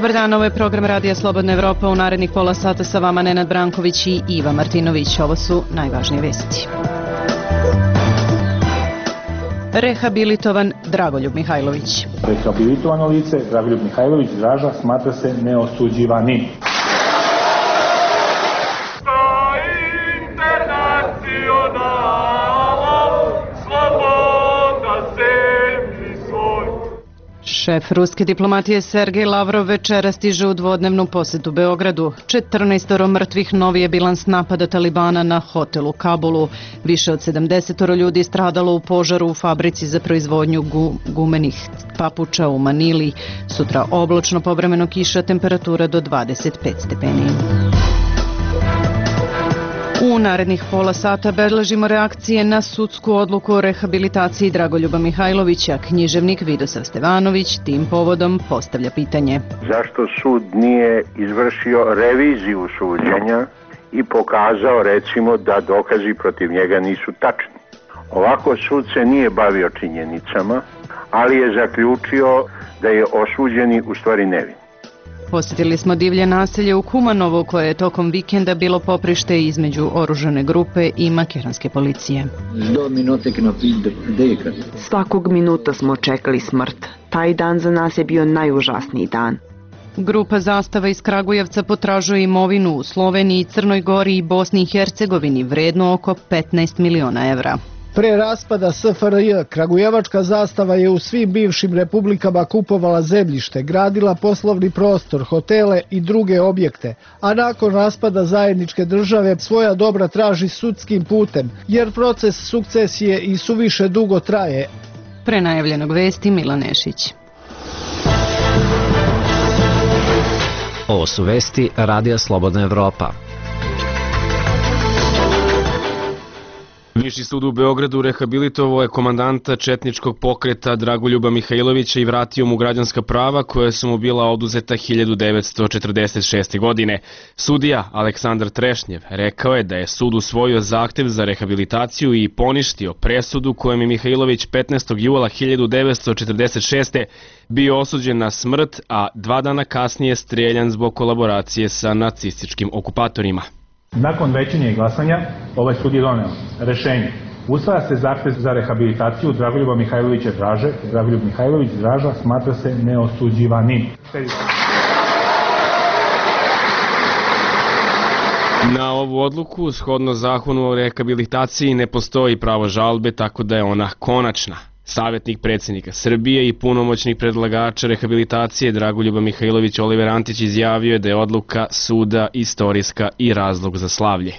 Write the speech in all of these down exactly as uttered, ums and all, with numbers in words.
Dobar dan, ovo je program Radija Slobodna Evropa. U narednih pola sata sa vama Nenad Branković i Iva Martinović. Ovo su najvažnije vesti. Rehabilitovan Dragoljub Mihajlović. Rehabilitovano lice Dragoljub Mihajlović Draža smatra se neosuđivanim. Šef ruske diplomatije Sergej Lavrov večera stiže u dvodnevnu posetu Beogradu. četrnaestoro mrtvih novi je bilans napada Talibana na hotel u Kabulu. Više od sedamdesetoro ljudi stradalo u požaru u fabrici za proizvodnju gu, gumenih papuča u Manili. Sutra oblačno, povremeno kiša, temperatura do dvadeset pet stepeni. U narednih pola sata beležimo reakcije na sudsku odluku o rehabilitaciji Dragoljuba Mihajlovića. Književnik Vidosav Stevanović tim povodom postavlja pitanje. Zašto sud nije izvršio reviziju suđenja i pokazao, recimo, da dokazi protiv njega nisu tačni? Ovako sud se nije bavio činjenicama, ali je zaključio da je osuđeni u stvari nevin. Posjetili smo divlje naselje u Kumanovu koje je tokom vikenda bilo poprište između oružane grupe i makedonske policije. Svakog minuta smo čekali smrt. Taj dan za nas je bio najužasniji dan. Grupa Zastava iz Kragujevca potražuje imovinu u Sloveniji, Crnoj Gori i Bosni i Hercegovini vrednu oko petnaest miliona evra. Pre raspada S F R J, Kragujevačka Zastava je u svim bivšim republikama kupovala zemljište, gradila poslovni prostor, hotele i druge objekte, a nakon raspada zajedničke države svoja dobra traži sudskim putem, jer proces sukcesije i suviše dugo traje. Pre najavljenog vesti Milan Nešić. Ovo su vesti Radija Slobodna Evropa. Viši sud u Beogradu rehabilitovao je komandanta četničkog pokreta Dragoljuba Mihajlovića i vratio mu građanska prava koja su mu bila oduzeta hiljadu devetsto četrdeset šeste. godine. Sudija Aleksandar Trešnjev rekao je da je sud usvojio zahtev za rehabilitaciju i poništio presudu kojem je Mihajlović petnaestog jula hiljadu devetsto četrdeset šeste. bio osuđen na smrt, a dva dana kasnije streljan zbog kolaboracije sa nacističkim okupatorima. Nakon većine i glasanja, ovaj sud je doneo rešenje. Usvaja se zahtev za rehabilitaciju Dragoljuba Mihajlovića Draže. Dragoljub Mihajlović Draža smatra se neosuđivanim. Na ovu odluku, shodno zakonu o rehabilitaciji, ne postoji pravo žalbe, tako da je ona konačna. Savjetnik predsjednika Srbije i punomoćnik predlagača rehabilitacije Dragoljuba Mihajlovića Oliver Antić izjavio je da je odluka suda istorijska i razlog za slavlje.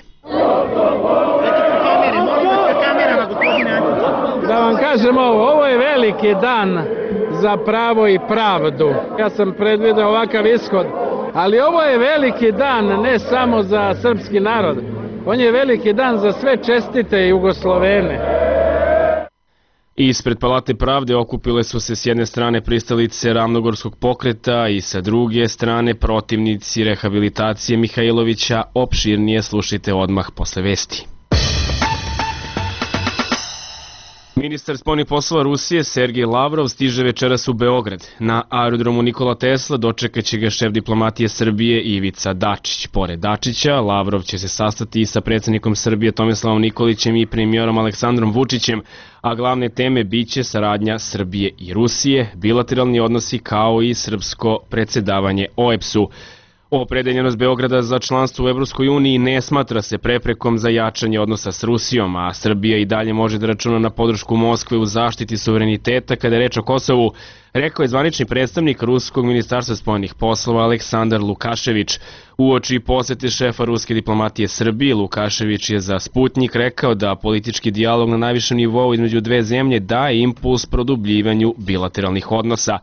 Da vam kažem ovo, ovo je veliki dan za pravo i pravdu. Ja sam predvidio ovakav ishod, ali ovo je veliki dan ne samo za srpski narod, on je veliki dan za sve čestite Jugoslovene. Ispred Palate pravde okupile su se s jedne strane pristalice Ravnogorskog pokreta i sa druge strane protivnici rehabilitacije Mihajlovića. Opširnije slušajte odmah posle vesti. Ministar spoljnih poslova Rusije Sergej Lavrov stiže večeras u Beograd. Na aerodromu Nikola Tesla dočekaće ga šef diplomatije Srbije Ivica Dačić. Pored Dačića, Lavrov će se sastati i sa predsjednikom Srbije Tomislavom Nikolićem i premijerom Aleksandrom Vučićem, a glavne teme biće saradnja Srbije i Rusije, bilateralni odnosi kao i srpsko predsjedavanje O E B S-u. Opredeljenost Beograda za članstvo u Evropskoj uniji ne smatra se preprekom za jačanje odnosa s Rusijom, a Srbija i dalje može da računa na podršku Moskve u zaštiti suvereniteta kada je reč o Kosovu, rekao je zvanični predstavnik Ruskog ministarstva spoljnih poslova Aleksandar Lukašević. Uoči posete šefa ruske diplomatije Srbije, Lukašević je za Sputnjik rekao da politički dijalog na najvišem nivou između dve zemlje daje impuls produbljivanju bilateralnih odnosa.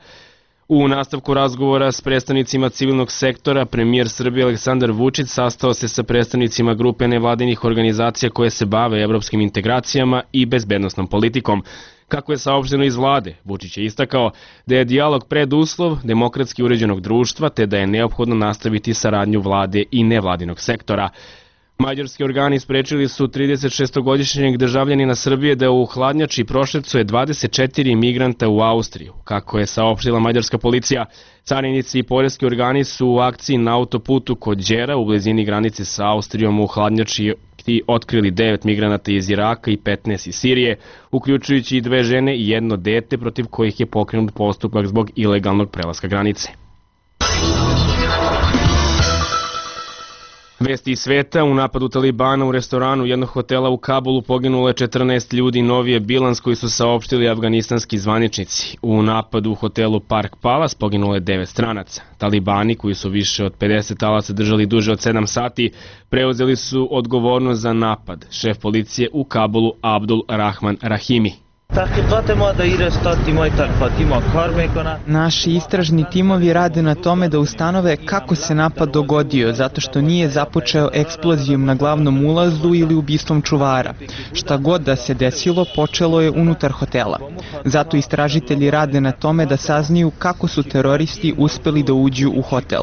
U nastavku razgovora s predstavnicima civilnog sektora, premijer Srbije Aleksandar Vučić sastao se sa predstavnicima grupe nevladinih organizacija koje se bave evropskim integracijama i bezbednosnom politikom. Kako je saopšteno iz vlade, Vučić je istakao da je dijalog preduslov demokratski uređenog društva te da je neophodno nastaviti saradnju vlade i nevladinog sektora. Mađarski organi sprečili su tridesetšestogodišnjeg državljanina Srbije da u hladnjači prošvercuje dvadeset četiri migranta u Austriju. Kako je saopštila mađarska policija, carinici i poreski organi su u akciji na autoputu kod Đera u blizini granice sa Austrijom u hladnjači otkrili devet migranata iz Iraka i petnaest iz Sirije, uključujući i dve žene i jedno dete protiv kojih je pokrenut postupak zbog ilegalnog prelaska granice. Vesti iz sveta: u napadu Talibana u restoranu jednog hotela u Kabulu poginulo je četrnaest ljudi, novi je bilans koji su saopštili afganistanski zvaničnici. U napadu u hotelu Park Palace poginulo je devet stranaca. Talibani, koji su više od pedeset talaca držali duže od sedam sati, preuzeli su odgovornost za napad. Šef policije u Kabulu Abdul Rahman Rahimi. Naši istražni timovi rade na tome da ustanove kako se napad dogodio, zato što nije započeo eksplozijom na glavnom ulazu ili ubistvom čuvara. Šta god da se desilo, počelo je unutar hotela. Zato istražitelji rade na tome da saznaju kako su teroristi uspeli da uđu u hotel.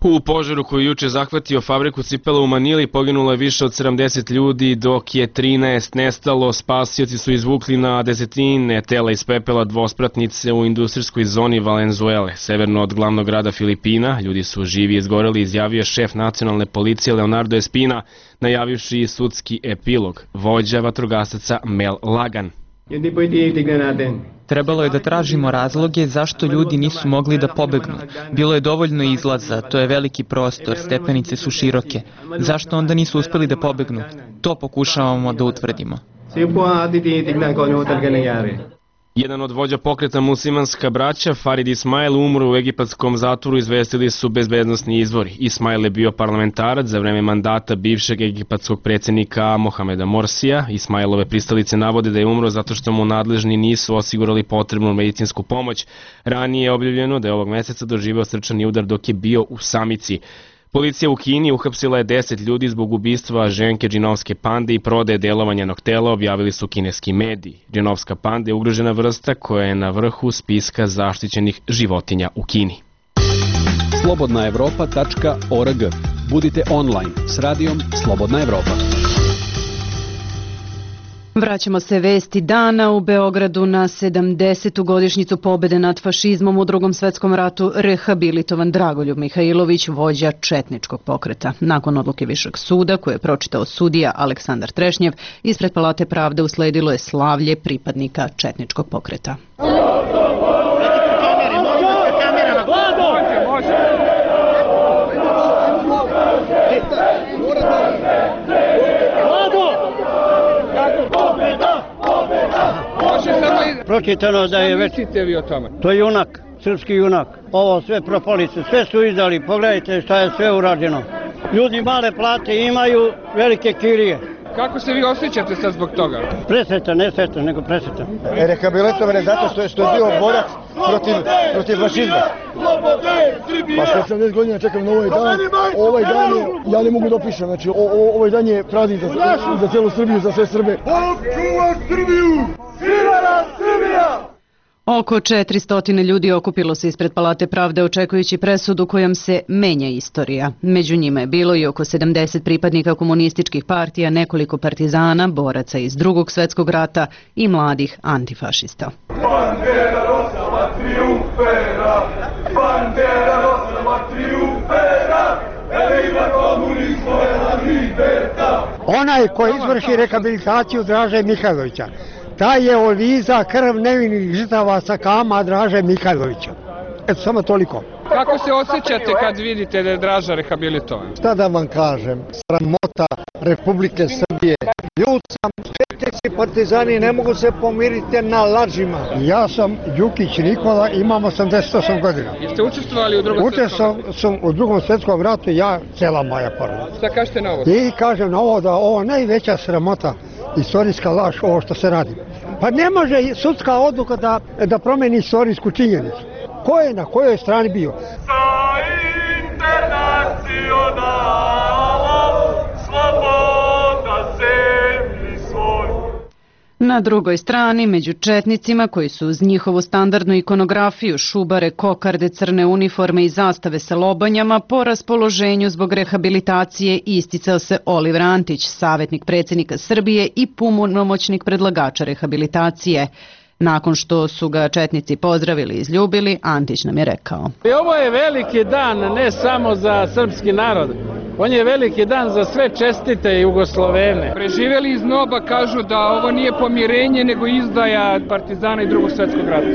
U požaru koji juče zahvatio fabriku cipela u Manili poginulo je više od sedamdeset ljudi, dok je trinaest nestalo. Spasioci su izvukli na desetine tela iz pepela dvospratnice u industrijskoj zoni Valenzuele, severno od glavnog grada Filipina. Ljudi su živi izgoreli, izjavio šef nacionalne policije Leonardo Espina, najavivši i sudski epilog. Vođa vatrogasaca Mel Lagan. Trebalo je da tražimo razloge zašto ljudi nisu mogli da pobegnu. Bilo je dovoljno izlaza, to je veliki prostor, stepenice su široke. Zašto onda nisu uspeli da pobegnu? To pokušavamo da utvrdimo. Jedan od vođa pokreta Muslimanska braća, Farid Ismail, umro u egipatskom zatvoru, izvestili su bezbednosni izvori. Ismail je bio parlamentarac za vreme mandata bivšeg egipatskog predsjednika Mohameda Morsija. Ismailove pristalice navode da je umro zato što mu nadležni nisu osigurali potrebnu medicinsku pomoć. Ranije je objavljeno da je ovog meseca doživeo srčani udar dok je bio u samici. Policija u Kini uhapsila je deset ljudi zbog ubistva ženke džinovske pande i prodaje delova njenog tela, objavili su kineski mediji. Džinovska panda je ugrožena vrsta koja je na vrhu spiska zaštićenih životinja u Kini. slobodna evropa tačka org. Budite online s radijom Slobodna Evropa. Vraćamo se vesti dana. U Beogradu na sedamdesetu godišnjicu pobede nad fašizmom u Drugom svetskom ratu rehabilitovan Dragoljub Mihajlović, vođa četničkog pokreta. Nakon odluke Višeg suda, koje je pročitao sudija Aleksandar Trešnjev, ispred Palate pravde usledilo je slavlje pripadnika četničkog pokreta. Pročitano da je već... To je junak, srpski junak. Ovo sve propalice, sve su izdali. Pogledajte šta je sve urađeno. Ljudi male plate imaju, velike kirije. Kako se vi osjećate sad zbog toga? Presretan, ne sretan, nego presretan. Rehabilitovan je zato što je, što je bio borac protiv, protiv fašizma. Pa sedamdeset godina čekam na ovaj dan. Ovaj dan je, ja ne mogu da opišem, znači o, o, ovaj dan je praznik za, za celu Srbiju, za sve Srbe. Bog čuva Srbiju! Živela Srbija! Oko četiristo ljudi okupilo se ispred Palate pravde očekujući presudu kojom se menja istorija. Među njima je bilo i oko sedamdeset pripadnika komunističkih partija, nekoliko partizana, boraca iz Drugog svetskog rata i mladih antifašista. Bandera rosa triumfera, bandera rosa triumfera, viva komunismo e la libertà. Onaj ko izvrši rehabilitaciju Draže Mihajlovića, taj je oliza krv nevinih žrtava sa kama Draže Mihajlovića. Eto, samo toliko. Kako se osjećate kad vidite da je Draža rehabilitovan? Šta da vam kažem, sramota Republike Srbije. Ljud sam, četnici partizani ne mogu se pomiriti na lažima. Ja sam Đukić Nikola, imam osamdeset osam godina. Jeste učestvovali u Drugom svetskom ratu? Učestvovao sam u Drugom svetskom ratu, ja, cela moja porodica. Šta kažete na ovo? I kažem na ovo da ovo najveća sramota, istorijska laž, ovo što se radi. Pa ne može sudska odluka da, da promeni istorijsku činjenicu. Ko je na kojoj strani bio? Sa internacionalom sloboda zemlji svoj. Na drugoj strani, među četnicima koji su uz njihovu standardnu ikonografiju, šubare, kokarde, crne uniforme i zastave sa lobanjama, po raspoloženju zbog rehabilitacije isticao se Oliver Antić, savjetnik predsjednika Srbije i punomoćnik predlagača rehabilitacije. Nakon što su ga četnici pozdravili i izljubili, Antić nam je rekao: I ovo je veliki dan ne samo za srpski narod, on je veliki dan za sve čestite Jugoslovene. Preživjeli iz Noba kažu da ovo nije pomirenje nego izdaja partizana i drugog svjetskog rata.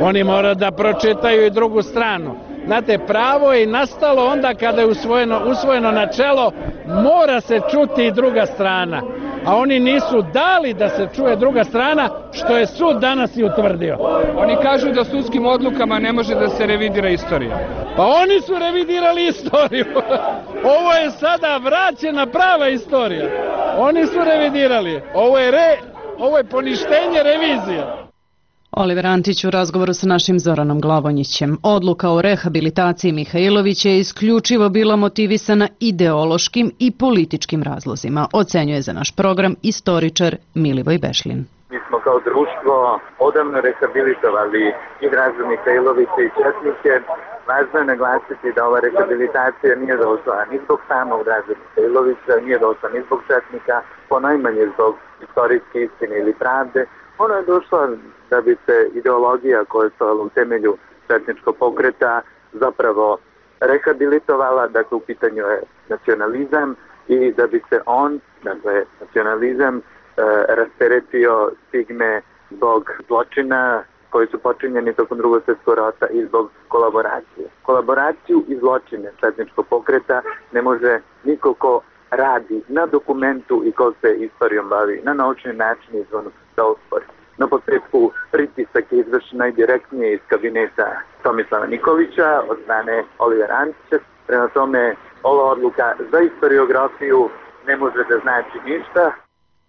Oni moraju da pročitaju i drugu stranu. Znate, pravo je nastalo onda kada je usvojeno, usvojeno načelo, mora se čuti i druga strana. A oni nisu dali da se čuje druga strana, što je sud danas i utvrdio. Oni kažu da sudskim odlukama ne može da se revidira istorija. Pa oni su revidirali istoriju. Ovo je sada vraćena prava istorija. Oni su revidirali. Ovo je, re, ovo je poništenje revizije. Oliver Antić u razgovoru sa našim Zoranom Glavonjićem. Odluka o rehabilitaciji Mihajlovića je isključivo bila motivisana ideološkim i političkim razlozima, ocenjuje za naš program istoričar Milivoj Bešlin. Mi smo kao društvo odavno rehabilitovali i Dražu Mihajlovića i četnike. Važno je naglasiti da ova rehabilitacija nije došla ni zbog samog Draža Mihajlovića, nije došla ni zbog četnika, ponajmanje zbog istorijske istine ili pravde. Ona je došla da bi se ideologija koja je stojala u temelju četničkog pokreta zapravo rehabilitovala, dakle u pitanju je nacionalizam i da bi se on, dakle nacionalizam, e, rasteretio stigme zbog zločina koji su počinjeni tokom drugog svjetskog rata i zbog kolaboracije. Kolaboraciju i zločine četničkog pokreta ne može niko ko radi na dokumentu i ko se istorijom bavi na naučni način izvonu da ospori. Na početku pritisak je izvršen najdirektnije iz kabineta Tomislava Nikolića od strane Olivera Antića. Prema tome, ova odluka za historiografiju ne može da znači ništa.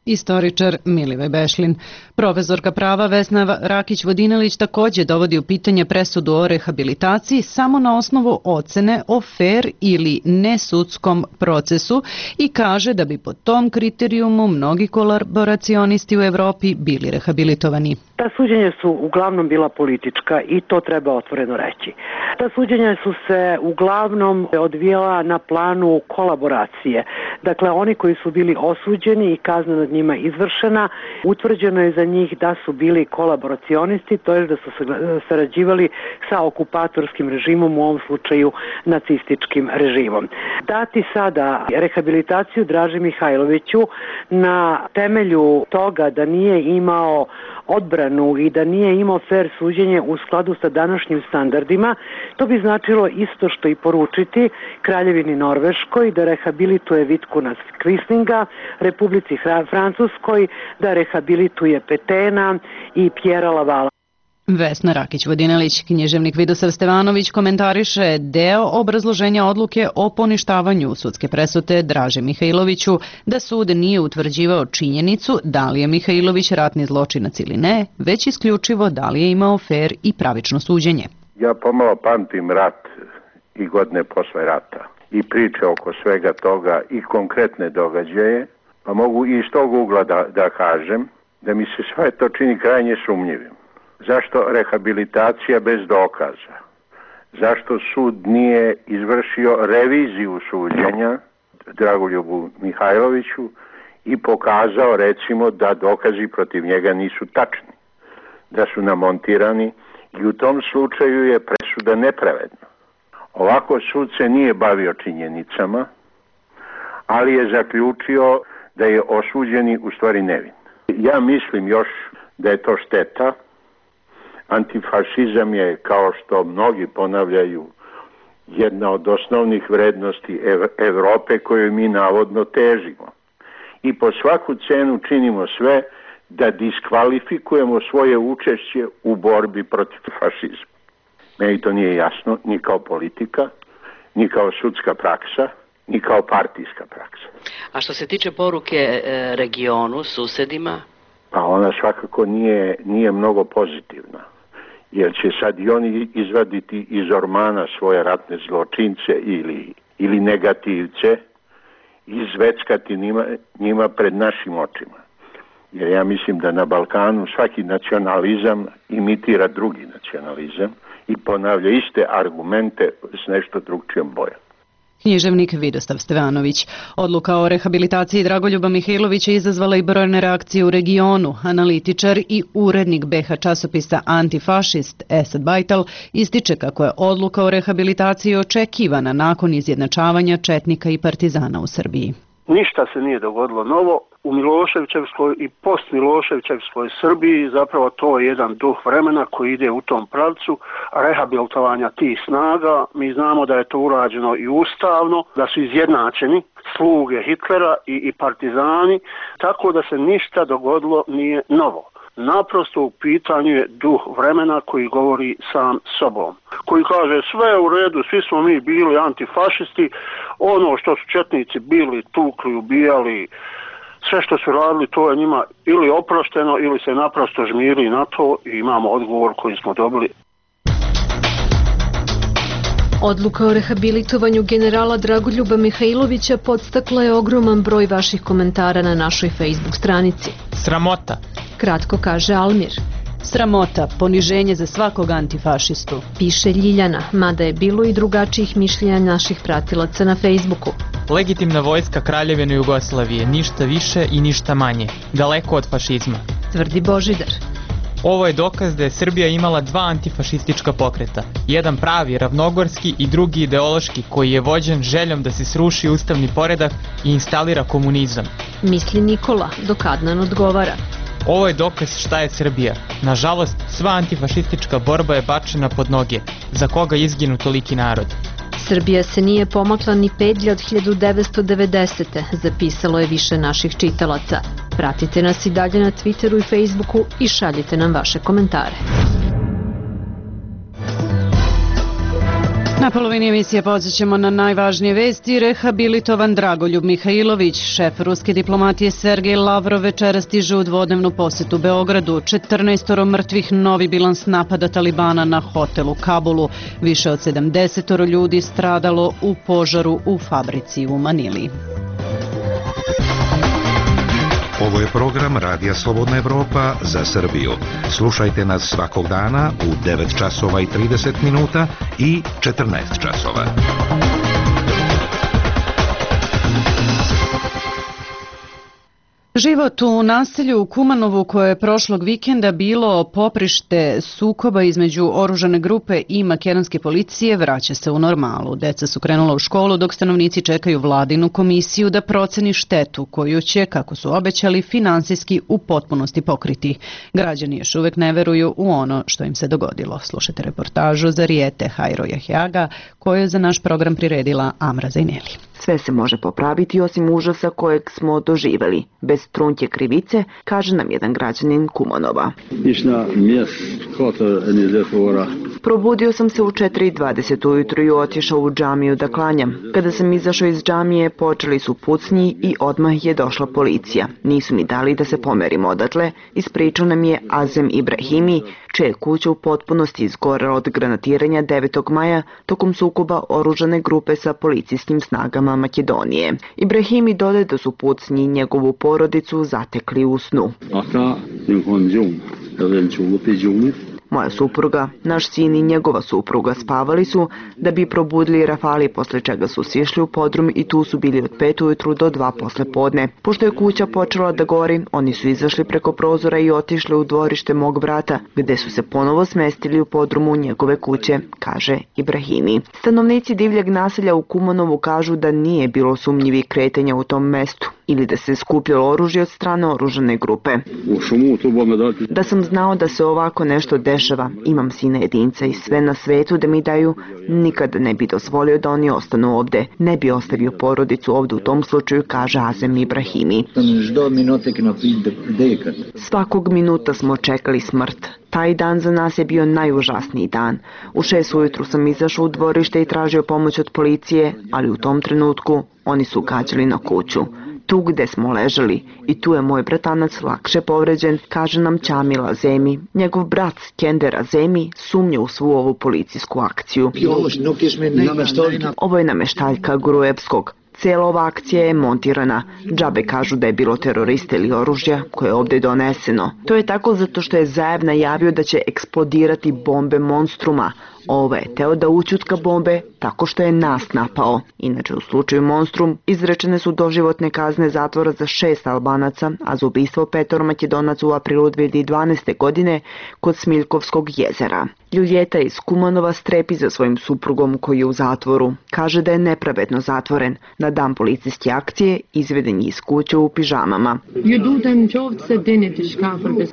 Istoričar Milivoj Bešlin. Profesorka prava Vesna Rakić-Vodinelić također dovodi u pitanje presudu o rehabilitaciji samo na osnovu ocene o fer ili nesudskom procesu i kaže da bi po tom kriterijumu mnogi kolaboracionisti u Evropi bili rehabilitovani. Ta suđenja su uglavnom bila politička i to treba otvoreno reći. Ta suđenja su se uglavnom odvijala na planu kolaboracije. Dakle, oni koji su bili osuđeni i kazna nad njima izvršena, utvrđeno je za njih da su bili kolaboracionisti, to je da su sarađivali sa okupatorskim režimom, u ovom slučaju nacističkim režimom. Dati sada rehabilitaciju Draži Mihajloviću na temelju toga da nije imao odbranu i da nije imao fer suđenje u skladu sa današnjim standardima, to bi značilo isto što i poručiti Kraljevini Norveškoj da rehabilituje Vitkuna Quislinga, Republici Francuskoj da rehabilituje Petena i Pjera Lavala. Vesna Rakić-Vodinelić, književnik Vidosav Stevanović komentariše deo obrazloženja odluke o poništavanju sudske presude Draže Mihajloviću da sud nije utvrđivao činjenicu da li je Mihajlović ratni zločinac ili ne, već isključivo da li je imao fer i pravično suđenje. Ja pomalo pamtim rat i godine posle rata i priče oko svega toga i konkretne događaje, pa mogu i iz tog ugla da, da kažem da mi se sve to čini krajnje sumnjivim. Zašto rehabilitacija bez dokaza? Zašto sud nije izvršio reviziju suđenja Dragoljubu Mihajloviću i pokazao recimo da dokazi protiv njega nisu tačni, da su namontirani i u tom slučaju je presuda nepravedna. Ovako sud se nije bavio činjenicama, ali je zaključio da je osuđeni u stvari nevin. Ja mislim još da je to šteta. Antifašizam je, kao što mnogi ponavljaju, jedna od osnovnih vrednosti Evrope koju mi navodno težimo. I po svaku cenu činimo sve da diskvalifikujemo svoje učešće u borbi protiv fašizma. Meni to nije jasno, ni kao politika, ni kao sudska praksa, ni kao partijska praksa. A što se tiče poruke regionu, susedima? Pa ona svakako nije, nije mnogo pozitivna. Jer će sad i oni izvaditi iz ormana svoje ratne zločince ili, ili negativce i zveckati njima, njima pred našim očima. jer ja mislim da na Balkanu svaki nacionalizam imitira drugi nacionalizam i ponavlja iste argumente s nešto drugčijom bojom. Književnik Vidostav Stevanović. Odluka o rehabilitaciji Dragoljuba Mihajlovića izazvala i brojne reakcije u regionu. Analitičar i urednik be ha časopisa Antifašist Esad Bajtal ističe kako je odluka o rehabilitaciji očekivana nakon izjednačavanja četnika i partizana u Srbiji. Ništa se nije dogodilo novo. U Miloševićevskoj i post-Miloševićevskoj Srbiji zapravo to je jedan duh vremena koji ide u tom pravcu rehabilitovanja tih snaga. Mi znamo da je to urađeno i ustavno, da su izjednačeni sluge Hitlera i, i partizani, tako da se ništa dogodilo nije novo. Naprosto u pitanju je duh vremena koji govori sam sobom. Koji kaže sve je u redu, svi smo mi bili antifašisti, ono što su četnici bili, tukli, ubijali, sve što su radili to je njima ili oprošteno ili se naprosto žmiri na to i imamo odgovor koji smo dobili. Odluka o rehabilitovanju generala Dragoljuba Mihajlovića podstakla je ogroman broj vaših komentara na našoj Facebook stranici. Sramota. Kratko kaže Almir. Sramota, poniženje za svakog antifašistu. Piše Ljiljana, mada je bilo i drugačijih mišljenja naših pratilaca na Facebooku. Legitimna vojska Kraljevine Jugoslavije, ništa više i ništa manje, daleko od fašizma. Tvrdi Božidar. Ovo je dokaz da je Srbija imala dva antifašistička pokreta, jedan pravi, ravnogorski i drugi ideološki koji je vođen željom da se sruši ustavni poredak i instalira komunizam. Misli Nikola, dok Adnan odgovara. Ovo je dokaz šta je Srbija. Nažalost, sva antifašistička borba je bačena pod noge, za koga izginu toliki narod. Srbija se nije pomakla ni pedlje od hiljadu devetsto devedesete. zapisalo je više naših čitalaca. Pratite nas i dalje na Twitteru i Facebooku i šaljite nam vaše komentare. Na polovini emisije podsjećamo na najvažnije vesti. Rehabilitovan Dragoljub Mihajlović, šef ruske diplomatije Sergej Lavrov večera stiže u dvodnevnu posetu Beogradu. četrnaestoro mrtvih, novi bilans napada Talibana na hotel u Kabulu. Više od sedamdesetoro ljudi stradalo u požaru u fabrici u Manili. Ovo je program Radija Slobodna Evropa za Srbiju. Slušajte nas svakog dana u devet časova i trideset minuta i četrnaest časova. Život u naselju u Kumanovu koje je prošlog vikenda bilo poprište sukoba između oružane grupe i makedonske policije vraća se u normalu. Deca su krenula u školu dok stanovnici čekaju vladinu komisiju da proceni štetu koju će, kako su obećali, finansijski u potpunosti pokriti. Građani još uvek ne veruju u ono što im se dogodilo. Slušajte reportažu za Rijete Hajro Jahjaga koju je za naš program priredila Amra Zajneli. Sve se može popraviti osim užasa kojeg smo doživeli. Bez trunke krivice, kaže nam jedan građanin Kumanova. Probudio sam se u četiri i dvadeset ujutru i otišao u džamiju da klanjam. Kada sam izašao iz džamije, počeli su pucnji i odmah je došla policija. Nisu mi dali da se pomerim odatle, ispričao nam je Azem Ibrahimi, čija je kuća u potpunosti izgorela od granatiranja devetog maja tokom sukoba oružane grupe sa policijskim snagama Makedonije. Ibrahimi dodaje da su pucnji njegovu porodicu zatekli u snu. Moja supruga, naš sin i njegova supruga spavali su da bi probudili rafali, posle čega su sišli u podrum i tu su bili od pet ujutru do dva posle podne. Pošto je kuća počela da gori, oni su izašli preko prozora i otišli u dvorište mog brata, gde su se ponovo smestili u podrumu njegove kuće, kaže Ibrahimi. Stanovnici divljeg naselja u Kumanovu kažu da nije bilo sumnjivih kretanja u tom mestu ili da se skupljalo oružje od strane oružane grupe. Da sam znao da se ovako nešto dešava, imam sina jedinca i sve na svetu da mi daju, nikada ne bi dozvolio da oni ostanu ovde. Ne bi ostavio porodicu ovde u tom slučaju, kaže Azem Ibrahimi. Svakog minuta smo čekali smrt. Taj dan za nas je bio najužasniji dan. U šest ujutru sam izašao u dvorište i tražio pomoć od policije, ali u tom trenutku oni su gađali na kuću. Tu gde smo ležali i tu je moj bratanac lakše povređen, kaže nam Ćamil Azemi. Njegov brat Skender Azemi sumnja u svu ovu policijsku akciju. Ovo je nameštaljka Gruevskog. Cijela ova akcija je montirana. Džabe kažu da je bilo terorista ili oružja koje je ovdje doneseno. To je tako zato što je Zaev najavio da će eksplodirati bombe Monstruma. Ovo je teo da ućutka bombe tako što je nas napao. Inače, u slučaju Monstrum izrečene su doživotne kazne zatvora za šest Albanaca, a za ubistvo petoro Makedonaca u aprilu dve hiljade dvanaeste. godine kod Smiljkovskog jezera. Ljuljeta iz Kumanova strepi za svojim suprugom koji je u zatvoru. Kaže da je nepravedno zatvoren. Na dan policijske akcije izveden je iz kuće u pižamama.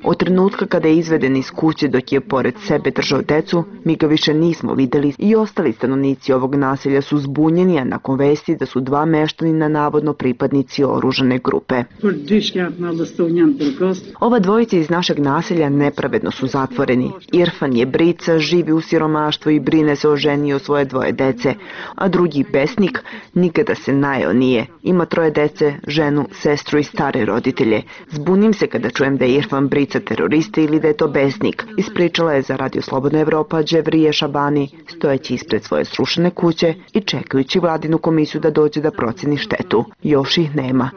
Od trenutka kada je izveden iz kuće dok je pored sebe držao decu, mi ga više nismo videli i ostali stanovnici ovog naselja su zbunjeni, a nakon vesti da su dva meštanina navodno pripadnici oružane grupe. Ova dvojica iz našeg naselja nepravedno su zatvoreni. Irfan je brica, živi u siromaštvu i brine se o ženi i o svoje dvoje dece, a drugi besnik nikada se najeo nije. Ima troje dece, ženu, sestru i stare roditelje. Zbunim se kada čujem da je Irfan brica terorista ili da je to besnik. Ispričala je za Radio Slobodna Evropa Dževrije Šabani, stojeći ispred svoje srušene kuće i čekajući vladinu komisiju da dođe da proceni štetu. Još ih nema.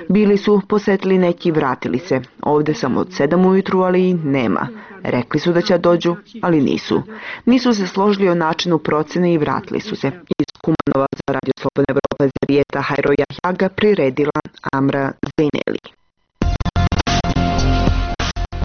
Bili su, posetili neki i vratili se. Ovde sam od sedam ujutru, ali i nema. Rekli su da će dođu, ali nisu. Nisu se složili o načinu procene i vratili su se. Iz Kumanova za Radio Slobodna Evropa Zarijeta Hajro Jahjaga priredila Amra Zejneli.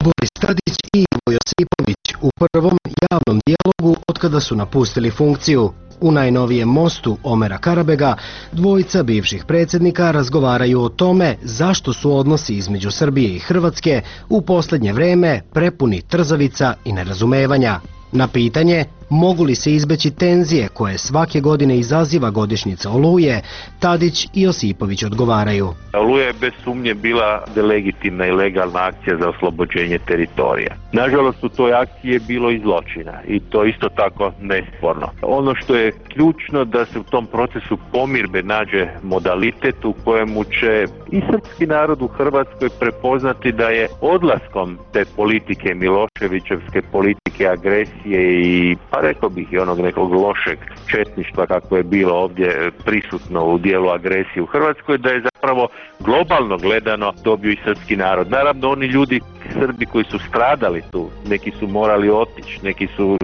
Boris Tadić i Ivo Josipović u prvom javnom dijalogu otkada su napustili funkciju. U najnovijem mostu Omera Karabega dvojica bivših predsjednika razgovaraju o tome zašto su odnosi između Srbije i Hrvatske u posljednje vreme prepuni trzavica i nerazumevanja. Na pitanje mogu li se izbeći tenzije koje svake godine izaziva godišnjica Oluje, Tadić i Josipović odgovaraju. Oluja je bez sumnje bila legitimna i legalna akcija za oslobođenje teritorija. Nažalost, u toj akciji je bilo i zločina i to isto tako nesporno. Ono što je ključno da se u tom procesu pomirbe nađe modalitet u kojemu će i srpski narod u Hrvatskoj prepoznati da je odlaskom te politike, Miloševićevske politike, agresije i pa rekao bih i onog nekog lošeg četništva kako je bilo ovdje prisutno u dijelu agresije u Hrvatskoj, da je zapravo globalno gledano dobio i srpski narod. Naravno, oni ljudi, Srbi koji su stradali tu, neki su morali otići, neki su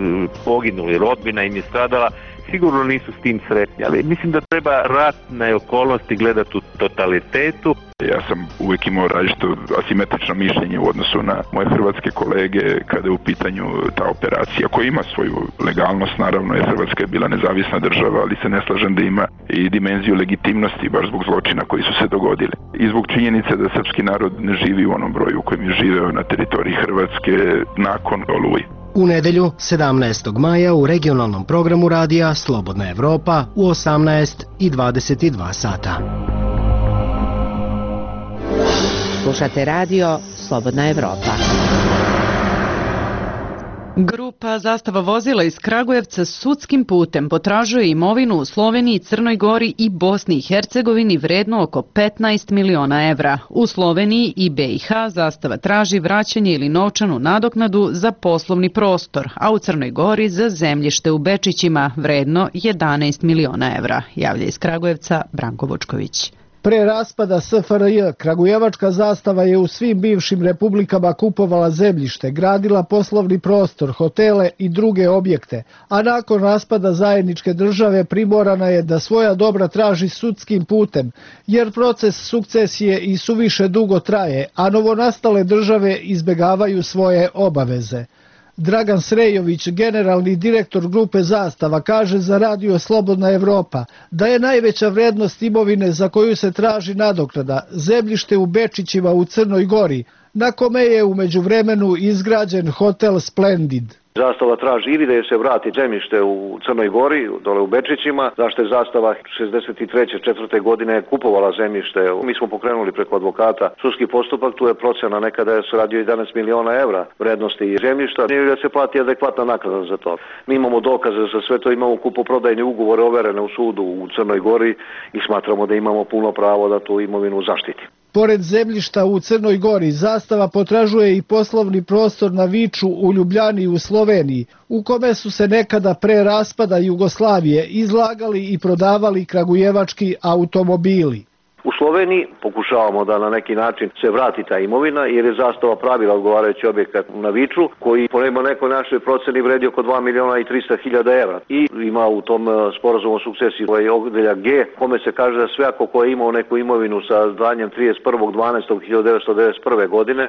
poginuli, rodbina im je stradala, sigurno nisu s tim sretni, ali mislim da treba ratne okolnosti gledati u totalitetu. Ja sam uvijek imao različito asimetrično mišljenje u odnosu na moje hrvatske kolege kada je u pitanju ta operacija koja ima svoju legalnost, naravno jer Hrvatska je bila nezavisna država, ali se ne slažem da ima i dimenziju legitimnosti baš zbog zločina koji su se dogodili. I zbog činjenice da srpski narod ne živi u onom broju u kojem je živeo na teritoriji Hrvatske nakon Oluje. U nedelju, sedamnaestog maja, u regionalnom programu radija Slobodna Evropa u osamnaest i dvadeset dva sata. Slušate radio Slobodna Evropa. Grupa Zastava vozila iz Kragujevca sudskim putem potražuje imovinu u Sloveniji, Crnoj Gori i Bosni i Hercegovini vredno oko petnaest miliona evra. U Sloveniji i B i H Zastava traži vraćanje ili novčanu nadoknadu za poslovni prostor, a u Crnoj Gori za zemljište u Bečićima vredno jedanaest miliona evra. Javlja iz Kragujevca Branko Vučković. Pre raspada S F R J, Kragujevačka zastava je u svim bivšim republikama kupovala zemljište, gradila poslovni prostor, hotele i druge objekte, a nakon raspada zajedničke države primorana je da svoja dobra traži sudskim putem, jer proces sukcesije i suviše dugo traje, a novonastale države izbegavaju svoje obaveze. Dragan Srejović, generalni direktor grupe Zastava, kaže za Radio Slobodna Evropa da je najveća vrednost imovine za koju se traži nadoknada zemljište u Bečićima u Crnoj Gori, na kome je u međuvremenu izgrađen hotel Splendid. Zastava traži ili da je se vrati zemljište u Crnoj Gori, dole u Bečićima, zašto je Zastava šezdeset treće četvrte godine kupovala zemljište. Mi smo pokrenuli preko advokata sudski postupak, tu je procena nekada je se radio jedanaest miliona evra vrednosti zemljišta, nije da se plati adekvatna naknada za to. Mi imamo dokaze za sve to, imamo kupoprodajne ugovore overene u sudu u Crnoj Gori i smatramo da imamo puno pravo da tu imovinu zaštiti. Pored zemljišta u Crnoj Gori, zastava potražuje i poslovni prostor na Viču u Ljubljani u Sloveniji, u kome su se nekada pre raspada Jugoslavije izlagali i prodavali kragujevački automobili. U Sloveniji pokušavamo da na neki način se vrati ta imovina jer je zastava pravila odgovarajući objekat na Viču koji po nekoj našoj proceni vredi oko dva miliona i trista hiljada evra i ima u tom sporazumu o sukcesiji ovaj odeljak G kome se kaže da svako ko je imao neku imovinu sa danjem trideset prvog decembra hiljadu devetsto devedeset prve. godine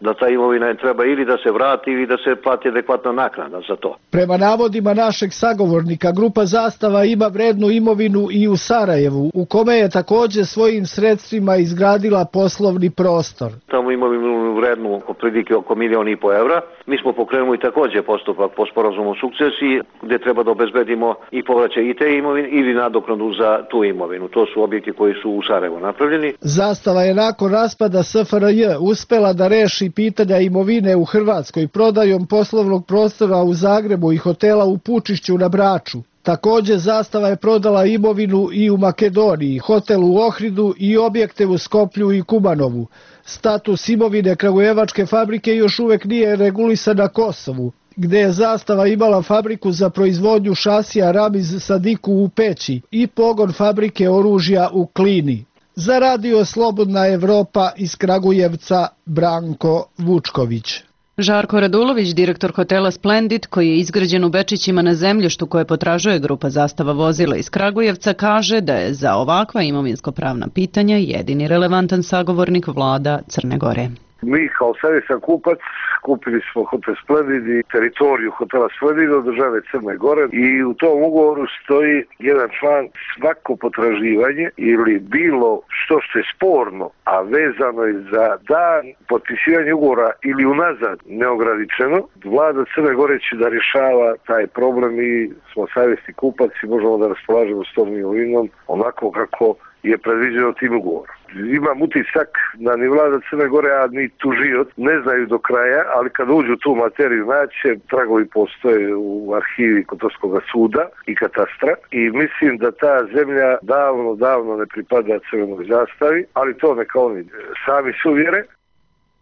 da ta imovina treba ili da se vrati ili da se plati adekvatna naknada za to. Prema navodima našeg sagovornika, grupa Zastava ima vrednu imovinu i u Sarajevu, u kome je takođe svojim sredstvima izgradila poslovni prostor. Tamo imovinu vrednu prilike oko milion i po evra. Mi smo pokrenuli takođe postupak po sporazumu o sukcesiji gde treba da obezbedimo i povraćaj i te imovine ili nadoknadu za tu imovinu. To su objekti koji su u Sarajevu napravljeni. Zastava je nakon raspada S F R J uspela da reši pitanja imovine u Hrvatskoj prodajom poslovnog prostora u Zagrebu i hotela u Pučišću na Braču. Takođe, Zastava je prodala imovinu i u Makedoniji, hotel u Ohridu i objekte u Skoplju i Kumanovu. Status imovine kragujevačke fabrike još uvek nije regulisan na Kosovu, gde je Zastava imala fabriku za proizvodnju šasija Ramiz Sadiku u Peći i pogon fabrike oružja u Klini. Za Radio Slobodna Evropa iz Kragujevca, Branko Vučković. Žarko Radulović, direktor hotela Splendid, koji je izgrađen u Bečićima na zemljištu koje potražuje grupa Zastava vozila iz Kragujevca, kaže da je za ovakva imovinsko-pravna pitanja jedini relevantan sagovornik vlada Crne Gore. Mi kao savjesan kupac kupili smo hotel Splendid i teritoriju hotela Splendid od države Crne Gore i u tom ugovoru stoji jedan član: svako potraživanje ili bilo što što je sporno, a vezano je za dan potpisivanja ugovora ili unazad neograničeno, vlada Crne Gore će da rješava taj problem i smo savjesni kupac i možemo da raspolažemo s tom imovinom onako kako je predviđeno tim ugovorom. Imam utisak da ni vlada Crne Gore, a ni tužilac ne znaju do kraja, ali kad uđu tu materiju naće, tragovi postoje u arhivi Kotorskog suda i katastra i mislim da ta zemlja davno, davno ne pripada Crvenoj Zastavi, ali to neka oni sami suvjere.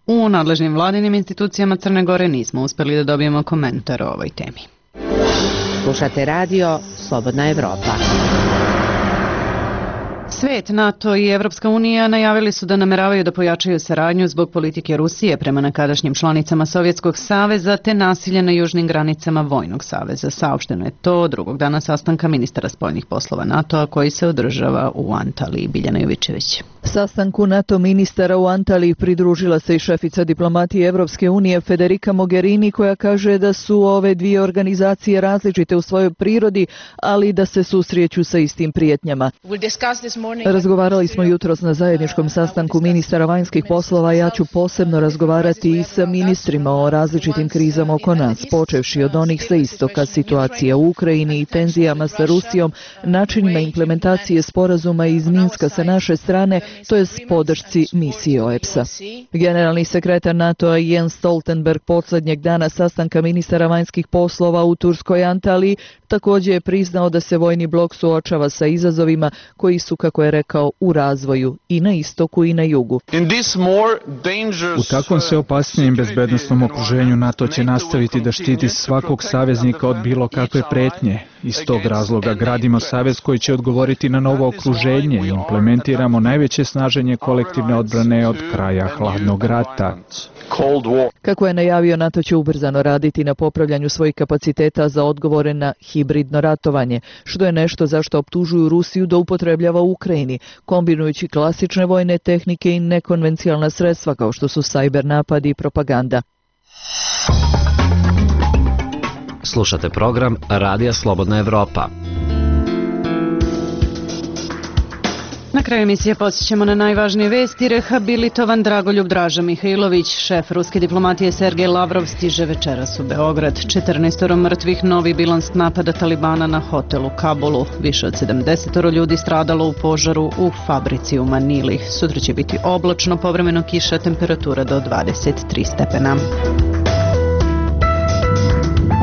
U nadležnim vladinim institucijama Crne Gore nismo uspeli da dobijemo komentar o ovoj temi. Slušate radio Slobodna Evropa. Svet, NATO i Evropska unija najavili su da nameravaju da pojačaju saradnju zbog politike Rusije prema nekadašnjim članicama Sovjetskog saveza te nasilja na južnim granicama Vojnog saveza. Saopšteno je to drugog dana sastanka ministara spoljnih poslova NATO-a koji se održava u Antaliji. Biljana Jovićević. Sastanku NATO ministara u Antaliji pridružila se i šefica diplomatije Evropske unije Federica Mogherini, koja kaže da su ove dvije organizacije različite u svojoj prirodi, ali da se susreću sa istim prijetnjama. Razgovarali smo jutros na zajedničkom sastanku ministara vanjskih poslova. Ja ću posebno razgovarati i sa ministrima o različitim krizama oko nas, počevši od onih sa istoka, situacija u Ukrajini i tenzijama sa Rusijom, načinima implementacije sporazuma iz Minska sa naše strane, to je podršci misije O E P S-a. Generalni sekretar NATO-a Jens Stoltenberg posljednjeg dana sastanka ministara vanjskih poslova u Turskoj Antaliji također je priznao da se vojni blok suočava sa izazovima koji su, kako je rekao, u razvoju i na istoku i na jugu. U takvom se opasnijem bezbednostnom okruženju NATO će nastaviti da štiti svakog saveznika od bilo kakve pretnje. Iz tog razloga gradimo savez koji će odgovoriti na novo okruženje i implementiramo najveće snaženje kolektivne odbrane od kraja hladnog rata. Kako je najavio, NATO će ubrzano raditi na popravljanju svojih kapaciteta za odgovore na hibridno ratovanje, što je nešto zašto optužuju Rusiju da upotrebljava u Ukrajini, kombinujući klasične vojne tehnike i nekonvencionalna sredstva kao što su sajber napadi i propaganda. Slušate program Radija Slobodna Evropa. Na kraju emisije podsjećamo na najvažnije vesti. Rehabilitovan Dragoljub Draža Mihajlović, šef ruske diplomatije Sergej Lavrov, stiže večeras u Beograd. četrnaestoro mrtvih, novi bilans napada Talibana na hotel u Kabulu. Više od sedamdeset ljudi stradalo u požaru u fabrici u Manili. Sutra će biti oblačno, povremeno kiša, temperatura do dvadeset tri stepena.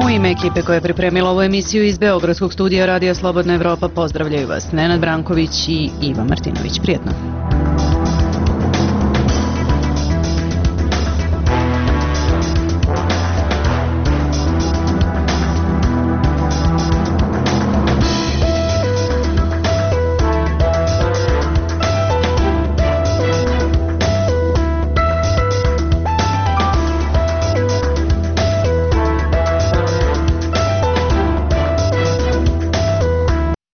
U ime ekipe koja je pripremila ovu emisiju iz Beogradskog studija Radija Slobodna Evropa pozdravljaju vas Nenad Branković i Iva Martinović. Prijetno.